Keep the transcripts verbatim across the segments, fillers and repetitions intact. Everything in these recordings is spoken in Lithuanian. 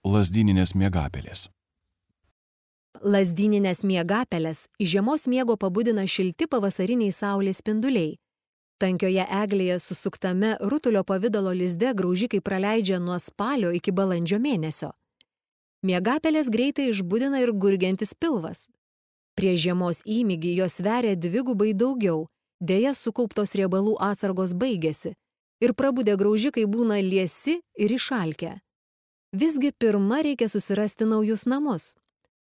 lazdyninės miegapelės. Lazdyninės miegapelės iš žiemos miego pabudina šilti pavasariniai saulės spinduliai. Tankioje eglėje susuktame rutulio pavidalo lizde graužikai praleidžia nuo spalio iki balandžio mėnesio. Miegapelės greitai išbudina ir gurgiantis pilvas. Prie žiemos įmygį jos sveria dvigubai daugiau, deja sukauptos riebalų atsargos baigėsi ir prabudę graužikai būna liesi ir išalkę. Visgi pirma reikia susirasti naujus namus.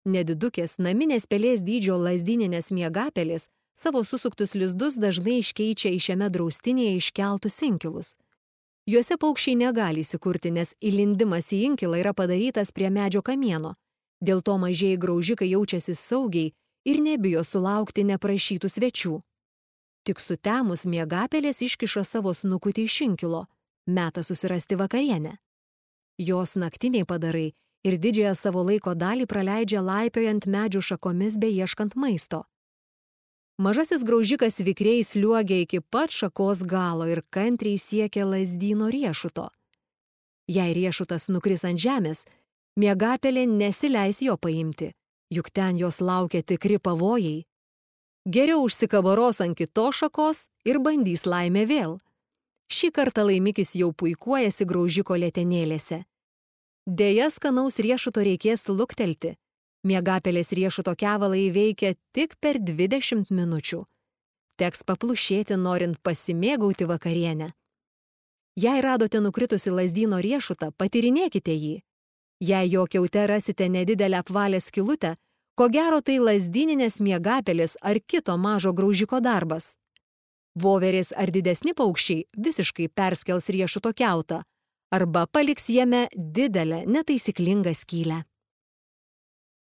Nedidukės naminės pelės dydžio lazdyninės miegapelės savo susuktus lizdus dažnai iškeičia į šiame draustinėje iškeltus inkilus. Juose paukščiai negali įsikurti, nes įlindimas į inkilą yra padarytas prie medžio kamieno. Dėl to mažieji graužikai jaučiasi saugiai ir nebijo sulaukti neprašytų svečių. Tik sutemus miegapelės iškiša savo snukutį iš inkilo, meta susirasti vakarienę. Jos naktiniai padarai ir didžiąją savo laiko dalį praleidžia laipiojant medžių šakomis bei ieškant maisto. Mažasis graužikas vikriai sliuogia iki pat šakos galo ir kantriai siekia lazdyno riešuto. Jei riešutas nukris ant žemės, miegapelė nesileis jo paimti, juk ten jos laukia tikri pavojai. Geriau užsikabaros ant kitos šakos ir bandys laimę vėl. Šį kartą laimikis jau puikuojasi graužiko letenėlėse. Deja, skanaus riešuto reikės luktelti. Miegapelės riešuto kevalą įveikia tik per dvidešimt minučių. Teks paplušėti, norint pasimėgauti vakarienę. Jei radote nukritusi lazdyno riešutą, patyrinėkite jį. Jei jo kiaute rasite nedidelę apvalę skylutę, ko gero tai lazdyninės miegapelės ar kito mažo graužiko darbas. Voverės ar didesni paukščiai visiškai perskels riešuto kiautą arba paliks jame didelę netaisyklingą skylę.